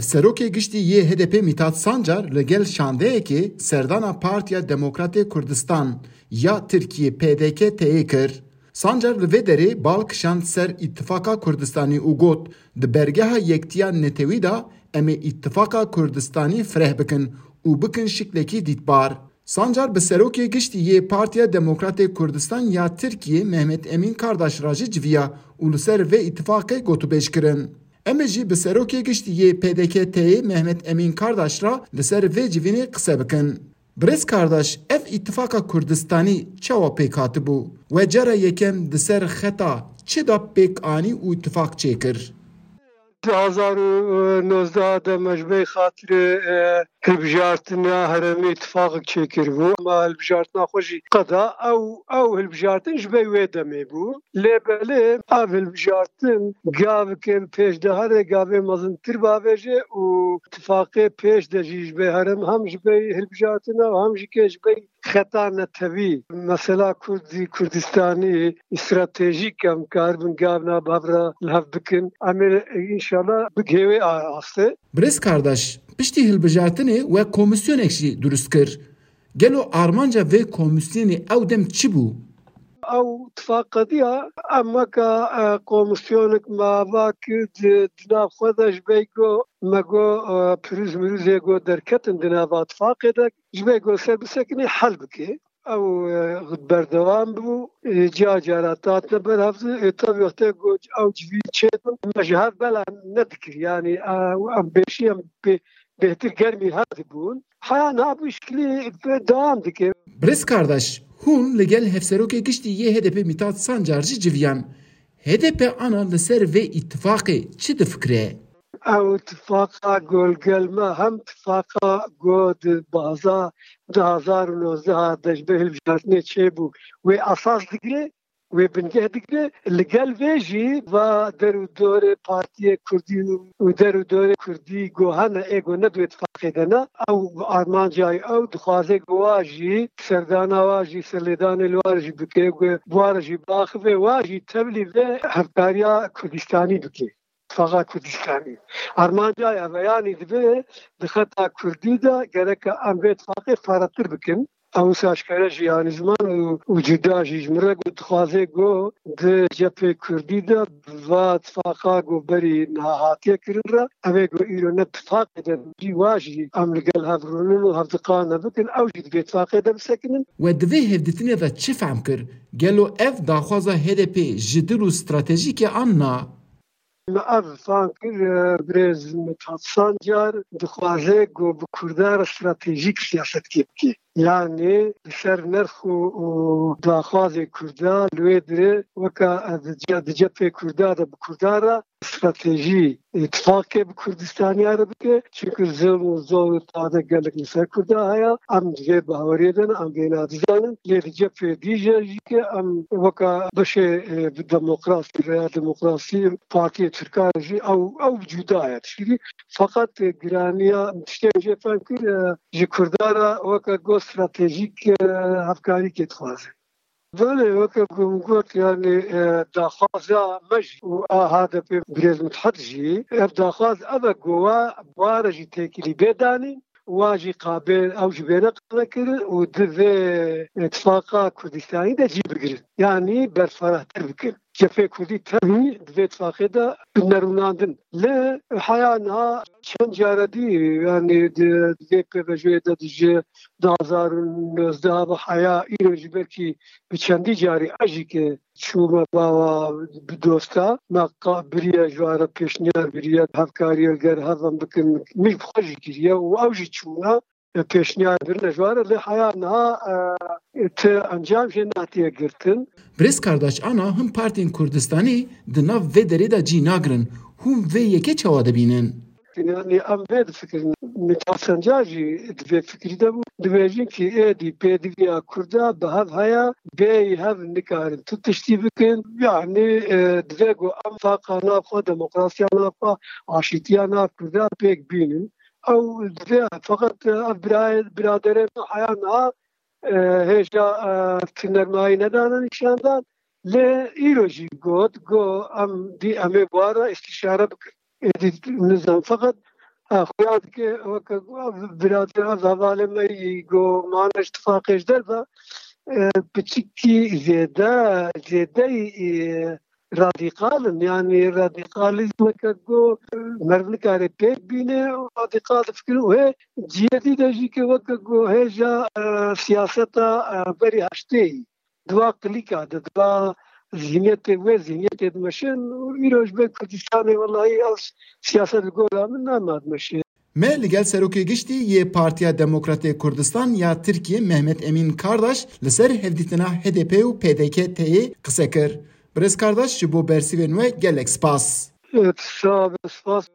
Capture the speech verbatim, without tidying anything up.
Serokê Giştî yê H D P Mithat Sancar li gel şandeyekê serdana Partiya Demokratê Kurdistan ya Tirkiyê P D K T'yê kir. Sancar li vê derê bal kişand ser Îtifaqa Kurdistanî û got, di bergeha yektiya netewî de em ê Îtifaqa Kurdistanî fireh bikin û bikin şiklekî dîtbar. Sancar bi Serokê Giştî yê Partiya Demokratê Kurdistan ya Tirkiyê Mehmet Emîn Kardaş re jî civiya û li ser vê îtifaqê gotûbêj kirin. Em ê jî bi Serokê Giştî yê P D K T'yê Mehmet Emîn Kardaş re li ser vê civînê qise bikin. Birêz Kardaş, ev îtifaqa Kurdistanî çawa pêk hatibû? We cara yekem di ser xeta çi de pêk anî û îtifaq çêkir? Du hezar û nozdeh de me ji ber xatirê, e, hilbijartina herêmê îtifaqek çêkiribû. Ma hilbijartina xwe jî qeda ew, ew hilbijartin ji ber wê demê bû. Lê belê ev hilbijartin gavike bi pêş de here, gavê mezintir bavêje û tifaqê pêş de jî ji ber herem hem ji ber hilbijartina û hem jî ke ji ber xeta netewî, mesela Kurdî, Kurdistanî, stratejîk em karibin gavna bi hev re li hev bikin. Em ê înşallah bigihê wê astê. Birêz Kardaş, piştî hilbijartinê we komîsyonek jî durust kir. Gelo armanca vê komîsyonê ew dem çi bû? Ew tifaq qediya, em weka, e, komîsyonek me ava kir di, di nav xwe de ji ber ku me got, e, pirûz mirûzê ku derketin di nava tifaqê de, ji ber ku ser bisekinê hel bike. Ew, e, berdewam bû, e, cara cara hatine berhevdin, e, tabi wextê ku ew civî çêdin, me ji hev bela nedikir. Yanî, e, em bêşî em bê-, bêhtir germî hev dibûn. Heya niha bi şiklî dewam dike. Birêz Kardaş, hûn li gel Hevserokê Giştî yê H D P Mithat Sancar jî civiyan. H D P ana li ser vê îtifaqê çi difikire? Ew tifaqa ku li gel me hem tifaqa ku di baza du hezar û nozdeh de ji ber hilbijartinê çêbû, wê esas digire, wê bingeh digire. Li gel vê jî va der û dorê partiyê kurdî û der û dorê kurdî ku hene ê ku ne di wê tifaqê de ne, ew armanca ew dixwaze ku wa jî serdana wa jî serlêdanê li wa jî bike, ku bi wa re jî biaxive, wa jî tevlî vê hevkariya Kurdistanî bike. Tifaqa Kurdistanî. Armanca ev e, yanî divê di xeta kurdî de gereke em vê tifaqê parvetir bikin. Ew wisa aşkere jî, yanî ziman û, û cuda jî ji min re got, dixwaze got di cephê kurdî de va tifaqa got berî niha hatiye kirin re, ev ê got îro ne tifaqê de jî wa jî em li gel hev rûnin û hevdiqane bikin, ew jî di vê tifaqê de bisekinin. We di vê hevdîtinê de çi fehm kir? Gelo ev daxwaza H D P ji dil û stratejîk e an na? Me ev fam kir, e, birêz Mithat Sancar dixwaze ku bi Kurda re stratejîk siyasetkê bike. Yanî li ser nerx û, û daxwazê Kurda li wê dirê weke, e, di ce-, di cephê Kurda de bi Kurda re stratejî, e, îtifaqê bi Kurdistaniya re bike. Çimkî zilm û zor û tade gelek li ser Kurda heye. Em di vê baweriyê de ne, em vêna dizanin. Lê di cephê dîje jî ke em weke beşê, e, bi demokrasî veya demokrasî partiyê Tirkan jî ew, ew cuda ye tişkî. Feqet, e, giraniya tiştê jê fem kir, e, ji Kurda re weke got stratejîk, e, hevkarîkê dixwaze. Belê, weke ku min got, yanî, e, daxwaza me jî û a H D P birêz Mithat jî, ev daxwaz ev e ku wa, wa re jî têkilî bê danîn, wa jî qabê, ew jî bêne qanekirin û di vê, e, tifaqa Kurdistanî de cî bigirin. Yanî berfirehtir bikin. Cephê Kurdî tevî di vê tifaqê de bi nerûnandin. Lê heya niha çend care dî, yanî di, di vê pêvajoyê de di ji du hezar û nozdeh ve heya îro jî belkî bi çendî carî ez jî ke çûme bawa bi dosta, me qa-, biriye ji wan re pêşniyar biriye, hevkariyê li gel hev em bikin, min bi xwe jî kiriye û ew jî çûne, e, pêşniyar birine ji wan re, lê heya niha, e, ti encam jê nehatiye girtin. Birêz Kardaş, ana him partiyên Kurdistanî di nav vê derê de cî nagirin. Hûn vê yekê çawa dibînin? Yanî em vê difikirin. Mithat Sancar jî di vê fikirî de bû. Dibêjin kî êdî pêdiviya Kurda bi hev heye, bêyî hev nikarin tu tiştî bikin. Yanî, e, divê ku em faqa nav xwe, demokrasiya nav xwe, aşîtiya nav Kurda pêk bînin. Ew divê feqet ev birayê, biraderê me heya niha, e, hêja, e, tinermayî nedane nîşandan. Lê îro jî got, got, em dî em ê bi wan re îstîşare bikin. Êdî nizam feqet e, xuya dike weke ku biradera hevalê me yî ku mane ji tifaqê ji derve, e, piçikî zêde, zêdeyî, e, radîkal in. Yanî radîkalîzmeke ku meriv nikare pêk bîne û radîkal difikirin û hê cihê dî de jî ke weke ku hêja, e, siyaseta, e, berî heştê yî. Di va klîka de, di va zihniyetê, wê zihniyetê dimeşin û îro ji ber Kurdistanê welahî ew siyaset li gora min nema dimeşin. Me li gel Serokê Giştî yê Partiya Demokratê Kurdistan ya Tirkiyê Mehmet Emîn Kardaş li ser hevdîtina H D P û P D K T Y'ê qise kir. Birêz Kardaş, ji bo bersivên we gelek spas. Sax be, spas.